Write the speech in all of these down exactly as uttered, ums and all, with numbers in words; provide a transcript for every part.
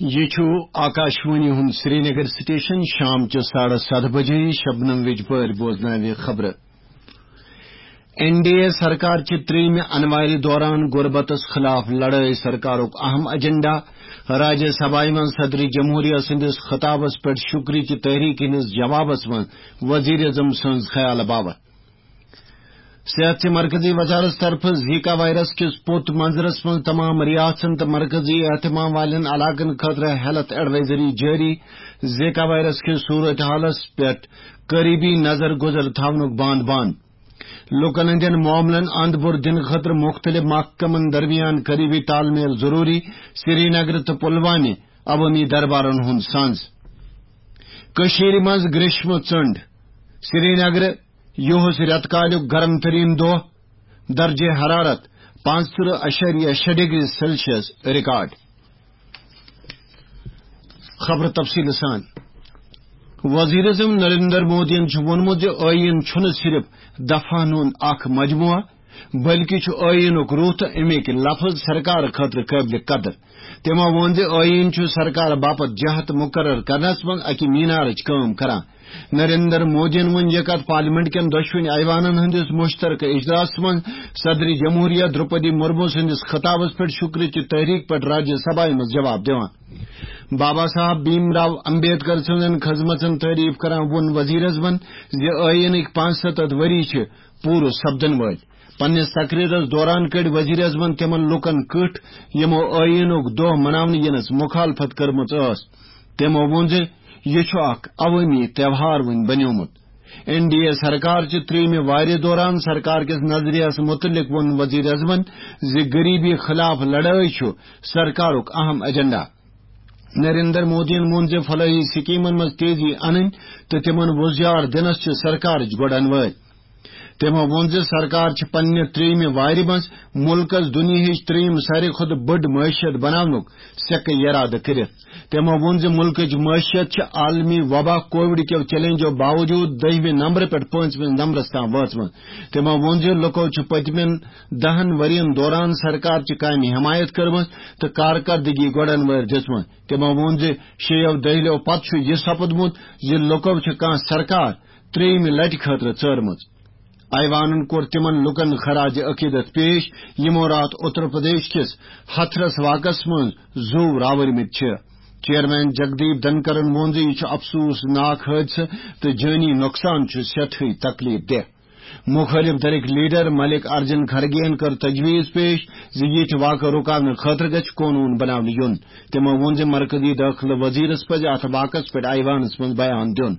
یہِ چھُ آکاشوانی ہُنٛد سرینگر سٹیشن۔ شام چہِ ساڑٕ ستھ بجے شبنم وِجپٲرۍ بوزناوِ خبرٕ۔ این ڈی اے سرکار چہِ ترٛیٚیمہِ انوارِ دوران غربتس خلاف لڑٲے سرکارُک اہم ایجنڈا۔ راجیہ سبھایہ منٛز صدر جمہوریہ سٕنٛدِس خطابس پٮ۪ٹھ شُکرٕچہِ تحریک ہٕنٛدِس جوابس منٛز وزیر اعظم سٕنٛز خیال باوت۔ صحت چہِ مرکزی وزارت طرفہٕ زیکا وائرس کِس پوٚت منظرس منٛز تمام ریاستن تہٕ مرکزی اہتمام والٮ۪ن علاقن خٲطرٕ ہیلتھ ایڈوائزری جٲری۔ زیکا وائرس کِس صورت حالس پٮ۪ٹھ قریبی نظر گزر تھاونُک بانٛد بنٛد۔ لوٗکن ہٕنٛدٮ۪ن معاملن اند بُر دِنہٕ خٲطرٕ مُختٔلِف محکمن درمیان قریبی تال میل ضروٗری۔ سرینگر تہٕ پلوامہ عوٲمی دربارن ہُنٛد سنٛز۔ کٔشیٖرِ منٛز گریشمہٕ ژٔنٛڈ۔ سرینگر یُہُس رٮ۪تہٕ کالیُک گرم تریٖن دۄہ، درجہ حرارت پانٛژترٕہ اَشاریہ شےٚ ڈگری سیلسیس ریکارڈ۔ خبر تفصیل سان۔ وزیر اعظم نریندر مودیَن چھُ ووٚنمُت زِ ٲییٖن چھُنہٕ صرف دفعن ہُنٛد اکھ مجموعہ، بلکہِ چھُ ٲییٖنُک روح تہٕ اَمِکۍ لفظ سرکار خٲطرٕ قٲبلِ قدر۔ تِمو ووٚن زِ ٲییٖن چھُ سرکار باپتھ جہت مقرر کرنس منٛز اکہِ مینارٕچ کٲم کران۔ نریندر مودیَن ووٚن یہِ کتھ پارلیمنٹ کٮ۪ن دۄشوٕنی ایوانن ہٕنٛدِس مشترکہ اجلاسس منٛز صدر جمہوریہ درپدی مرمو سٕنٛدِس خطابس پٮ۪ٹھ شُکرٕچہِ تحریک پٮ۪ٹھ راجیہ سبھایہ منٛز جواب دِوان۔ بابا صاحب بھیم راو امبیڈکر سٕنٛزن خدمژن تعریف کران ووٚن وزیر اعظمن زِ ٲییٖنٕکۍ پانٛژھ ستتھ ؤری چھِ پوٗرٕ سپدن وٲلۍ۔ پننِس تقریرس دوران کٔڑۍ وزیر اعظمن تِمن لوٗکن کٕٹھ، یِمو ٲییٖنُک دۄہ مناونہٕ یِنس مخالفت کٔرمٕژ ٲس۔ تِمو ووٚن زِ یہِ چھُ اکھ عوٲمی تہوار وۄنۍ بنیومُت۔ این ڈی اے سرکار چہِ ترٛیٚیمہِ وارِ دوران سرکار کِس نظریہس متعلق ووٚن وزیر اعظمن زِ غریبی خلاف لڑٲے چھُ سرکارُک اہم ایجنڈا۔ نریندر مودیَن ووٚن زِ فلاحی سکیمن منٛز تیزی انٕنۍ تہٕ تِمن وُزجار دِنس چھِ سرکارٕچ گۄڈن وٲلۍ۔ تِمو ووٚن زِ سرکار چھِ پننہِ ترٛیٚیمہِ وارِ منٛز مُلکس دُنیاہٕچ ترٛیٚیِم ساروی کھۄتہٕ بٔڑ معیشت بناونُک سیٚکہٕ یرادٕ کٔرِتھ۔ تِمو ووٚن زِ مُلکٕچ معیشت چھِ عالمی وبا کووڈ کیو چیلنجو باوجود دٔہمہِ نمبرٕ پٮ۪ٹھ پٲنٛژمِس نمبرس تام وٲژمٕژ۔ تِمو ووٚن زِ لُکو چھِ پٔتمٮ۪ن دَہن ؤرین دوران سرکار چہِ کامہِ حمایت کٔرمٕژ تہٕ کارکردگی گۄڈن وٲرۍ دِژمٕژ۔ تِمو ووٚن زِ شیٚیو دٔہلیو پتہٕ چھُ یہِ سپُدمُت زِ لُکو چھِ کانٛہہ سرکار ترٛیٚیمہِ لٹہِ خٲطرٕ ژٲرمٕژ۔ ایوانن کوٚر تِمن لوٗکن خراج عقیدت پیش، یِمو راتھ اتر پردیش کِس ہتھرس واقعس منٛز زُو راوٕرمٕتۍ چھِ۔ چیئرمین جگدیپ دھنکرن ووٚن زِ یہِ چھُ افسوسناک حٲدثہٕ تہٕ جٲنی نۄقصان چھُ سٮ۪ٹھٕے تکلیف دہ۔ مُخٲلِف دھرٕکۍ لیڈر ملک ارجن کھرگے یَن کٔر تجویز پیش زِ یِتھۍ واقعہٕ رُکاونہٕ خٲطرٕ گژھِ قونوٗن بناونہٕ یُن۔ تِمو ووٚن زِ مرکزی دٲخلہٕ وزیرس پزِ اتھ واقعس پٮ۪ٹھ ایوانس منٛز بیان دیُن۔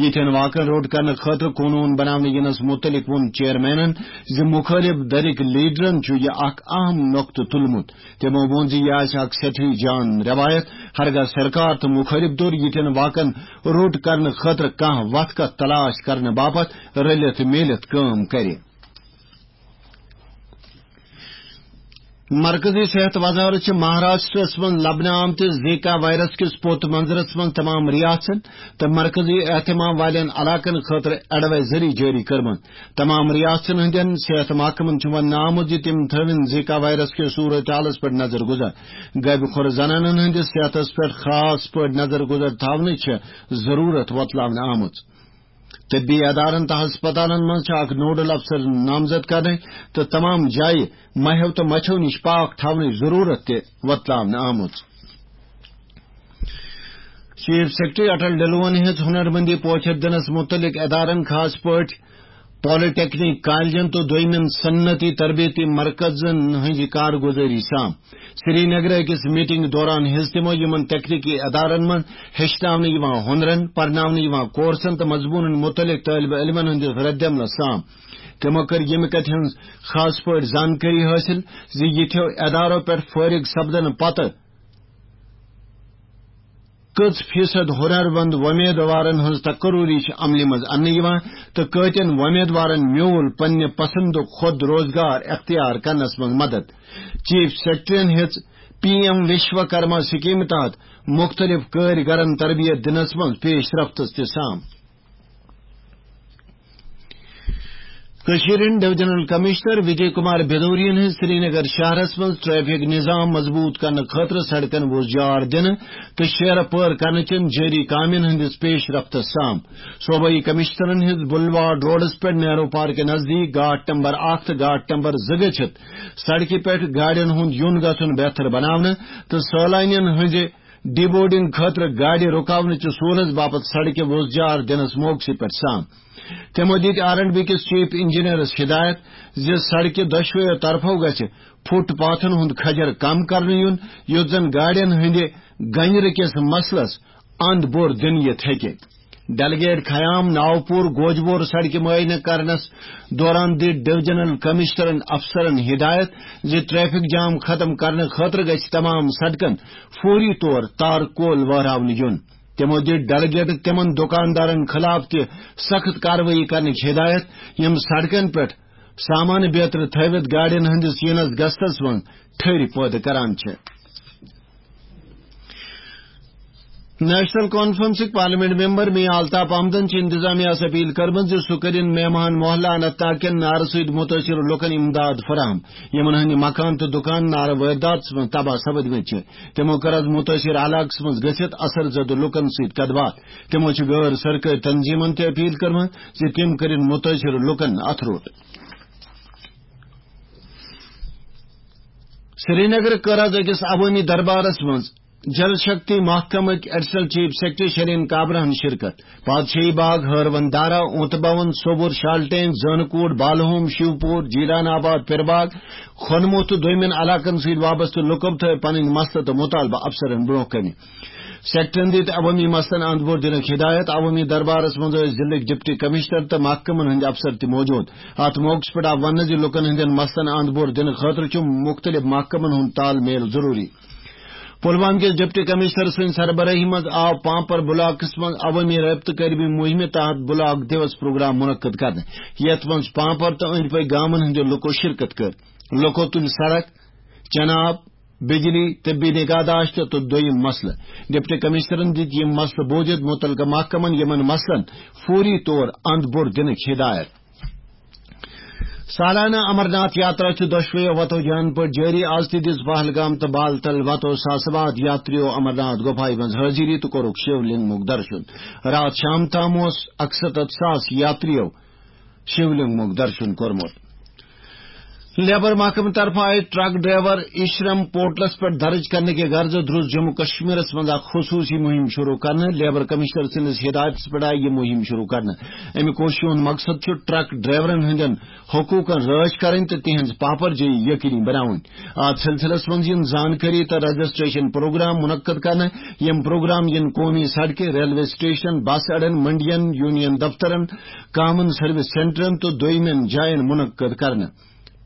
یِتھٮ۪ن واقعن روٚٹ کرنہٕ خٲطرٕ قونوٗن بناونہٕ یِنس مُتعلق ووٚن چیئرمینن زِ مُخٲلِف دھرٕکۍ لیڈرن چھُ یہِ اکھ اہم نۄقطہٕ تُلمُت۔ تِمو ووٚن زِ یہِ آسہِ اکھ سٮ۪ٹھٕے جان روایت، ہرگاہ سرکار تہٕ مُخٲلِف دھِر یِتھٮ۪ن واقعن روٚٹ کرنہٕ خٲطرٕ کانٛہہ وتھ کتھ تلاش کرنہٕ باپتھ رٔلِتھ میٖلِتھ کٲم کرِ۔ مرکزی صحت وزارت چھِ مہاراشٹرس منٛز لبنہٕ آمتِس زیکا وائرس کِس پوٚت منظرس منٛز تمام ریاستن تہٕ مرکزی اہتمام والٮ۪ن علاقن خٲطرٕ ایڈوائزری جٲری کٔرمٕژ۔ تمام ریاستن ہٕنٛدٮ۪ن صحت محکمن چھُ وننہٕ آمُت زِ تِم تھٲوِن زیکا وائرس کِس صورت حالس پٮ۪ٹھ نظر گزر۔ غٲبہِ خور زنانن ہٕنٛدِس صحتس پٮ۪ٹھ خاص پٲٹھۍ نظر گزر تھاونٕچ چھِ ضروٗرت وۄتلاونہٕ آمٕژ۔ طبی ادارن تہٕ ہسپتالن منٛز چھِ اکھ نوڈل افسر نامزد کرنٕچ تہٕ تمام جایہِ مہیو تہٕ مچھو نِش پاک تھاونٕچ ضروٗرت تہِ وۄتلاونہٕ آمٕژ۔ چیف سیکرٹری اٹل ڈلوَن ہیٚژ ہُنرمندی پوچھر دِنَس مُتعلِق ادارن، خاص پٲٹھۍ پالیٹیکنک کالجن تہٕ دوٚیمٮ۪ن صنعتی تربیتی مرکزن ہٕنٛزِ کارگُزٲری سام۔ سرینگرٕ أکِس میٹنگ دوران ہیٚژ تِمو یِمن تکنیکی ادارن منٛز ہیٚچھناونہٕ یِوان ہُنرن، پرناونہٕ یِوان کورسن تہٕ مضموٗنن مُتعلِق طٲلبہِ علمن ہٕنٛدِس ردعملس سام۔ تِمو کٔر ییٚمہِ کتھِ ہٕنٛز خاص پٲٹھۍ زانکٲری حٲصِل زِ یِتھیو ادارو پٮ۪ٹھ فٲرغ سپدنہٕ پتہٕ کٔژ فیصد ہُنرمند وۄمیدوارن ہٕنٛز تقرری چھِ عملہِ منٛز اننہٕ یِوان تہٕ کٲتٮ۪ن وۄمیدوارن میوٗل پننہِ پسندُک خود روزگار اختیار کرنس منٛز مدد۔ چیف سیکرٹریَن ہیٚژ پی ایم وشوکرما سکیمہِ تحت مُختٔلِف کٲرۍ گرن تربیت دِنس منٛز پیش رفتس تہِ سام۔ کٔشیٖرِ ہٕنٛدۍ ڈویژنل کمشنر وجے کمار بھدوریَن ہٕنٛز سرینگر شہرس منٛز ٹریفک نظام مضبوٗط کرنہٕ خٲطرٕ سڑکن وۄزجار دِنہٕ تہٕ شیرٕ پٲر کرنہٕ چٮ۪ن جٲری کامٮ۪ن ہٕنٛدِس پیش رفتس سام۔ صوبٲئی کمشنرن ہٕنٛز بلواڈ روڈس پٮ۪ٹھ نہرو پارکہِ نزدیٖک گاٹ نمبر اکھ تہٕ گاٹ نمبر زٕ گٔژھِتھ سڑکہِ پٮ۪ٹھ گاڑٮ۪ن ہُنٛد یُن گژھُن بہتر بناونہٕ تہٕ سٲلانٮ۪ن ہٕنٛزِ ڈی بورڈنگ خٲطرٕ گاڑِ رُکاونہٕ چہِ سہوٗلژ باپتھ سڑکہِ وۄزجار دِنس موقعس پٮ۪ٹھ سام۔ تِمو دِتۍ آر اینڈ بی کِس چیف انجینئرس ہدایت زِ سڑکہِ دۄشوٕیو طرفو گژھِ فٹ پاتھن ہُنٛد کھجر کم کرنہٕ یُن، یُتھ زن گاڑٮ۪ن ہٕنٛدِ گنجرٕ کِس مسلس اند بور دِنہٕ یِتھ ہیٚکہِ۔ ڈیلیگیٹ خیام ناوپور گوجبور سڑکہِ معائنہٕ کرنس دوران دِتۍ ڈویژنل کمشنرن افسرن ہدایت زِ ٹریفک جام ختم کرنہٕ خٲطرٕ گژھِ تمام سڑکن فوری طور تار کول وہراونہٕ یُن۔ تِمو دِتۍ ڈیلیگیٹن تِمن دُکاندارن خلاف تہِ سخت کاروٲیی کرنٕچ ہدایت، یِم سڑکن پٮ۪ٹھ سامان بیترِ تھٲوِتھ گاڑٮ۪ن ہٕنٛدِس یِنس گژھنس منٛز ٹھٔہرِ پٲدٕ کران چھِ۔ نیشنل کانفرنسٕکۍ پارلیمنٹ ممبر میاں الطاف احمدن چھِ انتظامیہ یَس اپیل کٔرمٕژ زِ سُہ کٔرِن مہمان محلہ اننت ناگ کٮ۪ن نارٕ سۭتۍ مُتٲثِر لُکن امداد فراہم، یِمن ہٕنٛدۍ مکان تہٕ دُکان نارٕ وٲرۍداتس منٛز تباہ سپدمٕتۍ چھِ۔ تِمو کٔر از مُتٲثِر علاقس منٛز گٔژھِتھ اثر زدٕ لُکن سۭتۍ کتھ باتھ۔ تِمو چھِ غٲر سرکٲرۍ تنظیمن تہِ اپیل کٔرمٕژ زِ تِم کٔرِن مُتٲثِر لُکن اتھٕ روٚٹ۔ سرینگر کٔر از أکِس عوٲمی دربارس منٛز Jal Shakti محکمٕکۍ additional chief secretary شریٖن کابراہن شرکت۔ پادشاہی باغ، ہٲروَن دارا، اونتہٕ بھون، سوبُر، شالٹینگ، زٲنہٕ کوٗٹ، بالہوم، شِوپوٗر، جیٖران آباد، پِرباگ، کھۄنموٗ تہٕ دوٚیمٮ۪ن علاقن سۭتۍ وابستہٕ لُکو تھٲوۍ پنٕنۍ مسلہٕ تہٕ مُطالبہٕ افسرن برٛونٛہہ کنہِ۔ سیکٹرن دِتۍ عوٲمی مسلن اند بور دِنٕکۍ ہدایت۔ عوٲمی دربارس منٛز ٲسۍ ضلعٕکۍ ڈپٹی کمشنر تہٕ محکمن ہٕنٛدۍ افسر تہِ موجود۔ اتھ موقعس پٮ۪ٹھ آو وننہٕ زِ لوٗکن ہٕنٛدٮ۪ن مسلن اند بور دِنہٕ خٲطرٕ چھُ مُختٔلِف محکمن ہُنٛد تال میل ضروٗری۔ پلوامہ کِس ڈپٹی کمشنر سٕنٛدِ سربرٲہی منٛز آو پامپر بلاکس منٛز عوٲمی رٲبطہٕ کٲری مُہِمہِ تحت بلاک دیوس پروگرام منعقد کرنہٕ، یتھ منٛز پامپر تہٕ أنٛدۍ پٔکۍ گامن ہٕنٛدیو لوٗکو شرکت کٔر۔ لوٗکو تُلۍ سڑک، چناب، بجلی، طبی نگہداشت تہٕ دوٚیِم مسلہٕ۔ ڈپٹی کمشنرن دِتۍ یِم مسلہٕ بوٗزِتھ مُتعلقہٕ محکمن یِمن مسلن فوری طور اند بور دِنٕکۍ ہدایت۔ سالانہٕ امرناتھ یاترا چھِ دۄشوٕیو وتو جان پٲٹھۍ جٲری۔ از تہِ دِژ پہلگام تہٕ بالتل وتو ساسہٕ واد یاتریو امرناتھ گۄپھایہِ منٛز حٲضری تہٕ کوٚرُکھ شیو لنگمُک درشُن۔ راتھ شام تام اوس اکستتھ ساس یاتریو شیو لنگمُک درشُن کوٚرمُت۔ لیبر محکمہٕ طرفہٕ آیہِ ٹرک ڈرائیور اشرم پورٹلس پٮ۪ٹھ درج کرنہٕ کہِ غرضہٕ درٛوس جموں کشمیرس منٛز اکھ خصوٗصی مُہِم شروٗع کرنہٕ۔ لیبر کمشنر سٕنٛدِس ہدایتس پٮ۪ٹھ آیہِ یہِ مُہِم شروٗع کرنہٕ۔ اَمہِ کوٗششہِ ہُنٛد مقصد چھُ ٹرک ڈرائیورن ہٕنٛدٮ۪ن حقوٗقن رٲچھ کرٕنۍ تہٕ تِہنٛز پاپرجٲیی یقینی بناوٕنۍ۔ اتھ سلسلس منٛز یِن زانکٲری تہٕ رجسٹریشن پروگرام منعقد کرنہٕ۔ یِم پروگرام یِن قومی سڑکہِ، ریلوے سٹیشن، بس اڈن، منڈین، یونین دفترن، کامن سروس سینٹرن تہٕ دوٚیمٮ۪ن جاین منعقد کرنہٕ۔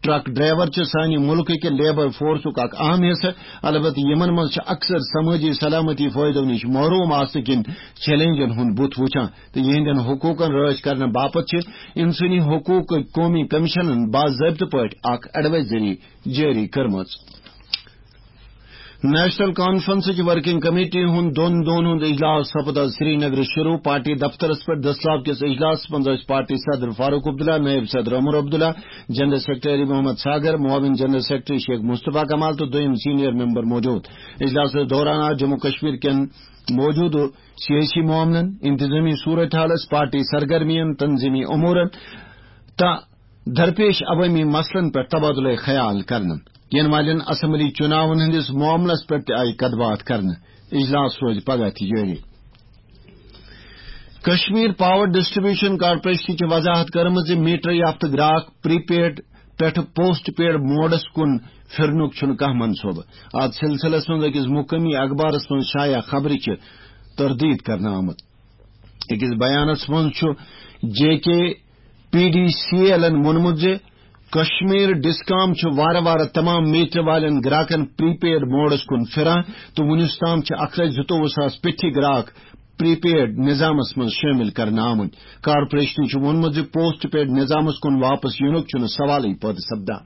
ٹرک ڈرائیور چھِ سانہِ مُلکہٕ کہِ لیبر فورسُک اکھ اہم حصہٕ، البتہٕ یِمن منٛز چھِ اکثر سمٲجی سلامتی فٲیدو نِش محروم آسنہٕ کِنۍ چیلنجن ہُنٛد بُتھ وُچھان تہٕ یِہنٛدٮ۪ن حقوٗقن رٲچھ کرنہٕ باپتھ چھِ انسٲنی حقوٗقٕکۍ قومی کمیشنن باضٲبطہٕ پٲٹھۍ اکھ ایڈوائزری جٲری کٔرمٕژ۔ نیشنل کانفرنسٕچ ورکنگ کمیٹی ہُنٛد دۄن دۄہن ہُنٛد اجلاس سپُد آز سرینگرٕ شروع۔ پارٹی دفترس پٮ۪ٹھ دستیاب کِس اجلاسس منٛز ٲسۍ پارٹی صدر فاروق عبداللہ، نائب صدر عمر عبداللہ، جنرل سیکرٹری محمد ساگر، معاون جنرل سیکرٹری شیخ مصطفیٰ کمال تہٕ دوٚیِم سینئر ممبر موجود۔ اجلاسس دوران آو جموں کشمیر کٮ۪ن موجودٕ سیٲسی معاملن، انتظامی صورتحالس، پارٹی سرگرمین، تنظیمی امورن تہٕ درپیش عوٲمی مسلن پٮ۪ٹھ تبادلہٕ خیال کرنہٕ۔ یِنہٕ والٮ۪ن اسمبلی چُناون ہٕنٛدِس معاملس پٮ۪ٹھ تہِ آیہِ کتھ باتھ کرنہٕ۔ اجلاس روزِ پگاہ تہِ جٲری۔ کشمیر پاور ڈسٹریبیوشن کارپوریشن چھِ وضاحت کٔرمٕژ زِ میٹر یافتہٕ گراک پری پیڈ پٮ۪ٹھٕ پوسٹ پیڈ موڈس کُن پھرنُک چھُنہٕ کانٛہہ منصوبہٕ۔ اتھ سلسلس منٛز أکِس مقٲمی اخبارس منٛز شایع خبرِ چھِ تردید کرنہٕ آمٕژ۔ أکِس بیانس منٛز چھُ جے کے پی ڈی سی ایلن ووٚنمُت زِ کشمیر ڈسکام چھُ وارٕ وارٕ تمام میٹر والٮ۪ن گراکن پری پیڈ موڈس کُن پھران تہٕ وُنیُس تام چھِ اکھ لچھ زٕتووُہ ساس پیٚٹھی گراک پری پیڈ نظامس منٛز شٲمِل کرنہٕ آمٕتۍ۔ کارپوریشنن چھُ ووٚنمُت زِ پوسٹ پیڈ نظامس کُن واپس یِنُک چھُنہٕ سوالٕے پٲدٕ سپدان۔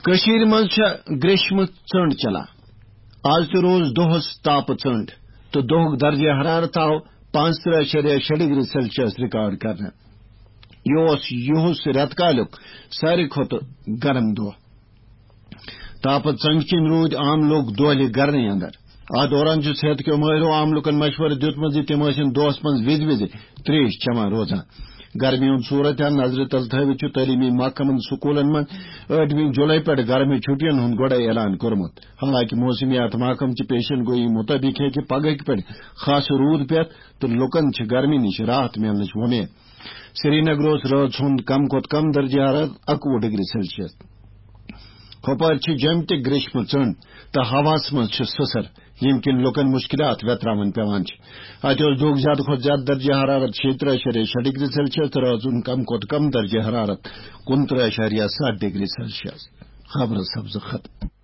کٔشیٖرِ منٛز چھےٚ گریشمہٕ ژٔنٛڈ چلان۔ آز تہِ روز دۄہس تاپہٕ ژٔنٛڈ تہٕ دۄہُک درجہ حرارت آو پانٛژترٕٛہ اَشاریہ شےٚ ڈگری سیلسیس ریکارڈ کرنہٕ۔ یہِ اوس یِہُس رٮ۪تہٕ کالیُک ساروی کھۄتہٕ گرم دۄہ۔ تاپہٕ ژنٛگہِ کِنۍ روٗدۍ عام لوٗکھ دۄہلہِ گرنٕے اندر۔ اتھ دوران چھُ صحت کیو مٲہرو عام لوٗکن مشورٕ دیُتمُت زِ تِم ٲسِن دۄہس منٛز وِزِ وِزِ تریش چٮ۪وان روزان۔ گرمی ہُنٛد صورت حال نظرِ تل تھٲوِتھ چھُ تعلیمی محکمن سکوٗلن منٛز ٲٹھمہِ جُلای پٮ۪ٹھ گرمی چھُٹین ہُنٛد گۄڈے اعلان کوٚرمُت۔ حالانکہ موسمیات محکمہٕ چہِ پیشن گویی مُطٲبِق ہیٚکہِ پگہٕکۍ پٮ۪ٹھ خاص روٗد پٮ۪تھ تہٕ لوٗکن چھِ گرمی نِش راحت میلنٕچ وۄمید۔ سرینگر اوس رٲژ ہُنٛد کم کھۄتہٕ کم درجہ حرارت اَکوُہ ڈگری سیلسیس۔ کۄپوارِ چھِ جیٚمہِ تہِ گریشمہٕ ژٔنٛڈ تہٕ ہوہَس منٛز چھِ سٕسر، ییٚمہِ کِنۍ لوٗکن مُشکِلات ویتراوٕنۍ پٮ۪وان چھِ۔ اَتہِ اوس دۄہُک زیادٕ کھۄتہٕ زیادٕ درجہ حرارت شیٚیہِ ترٕٛہ اَشاریہ شےٚ ڈگری سیلسیس تہٕ رٲژ ہُنٛد کم کھۄتہٕ کم درجہ حرارت کُنترٕٛہ اَشاریہ ستھ ڈگری سیلسیس۔ خبرٕ سبزٕ ختم۔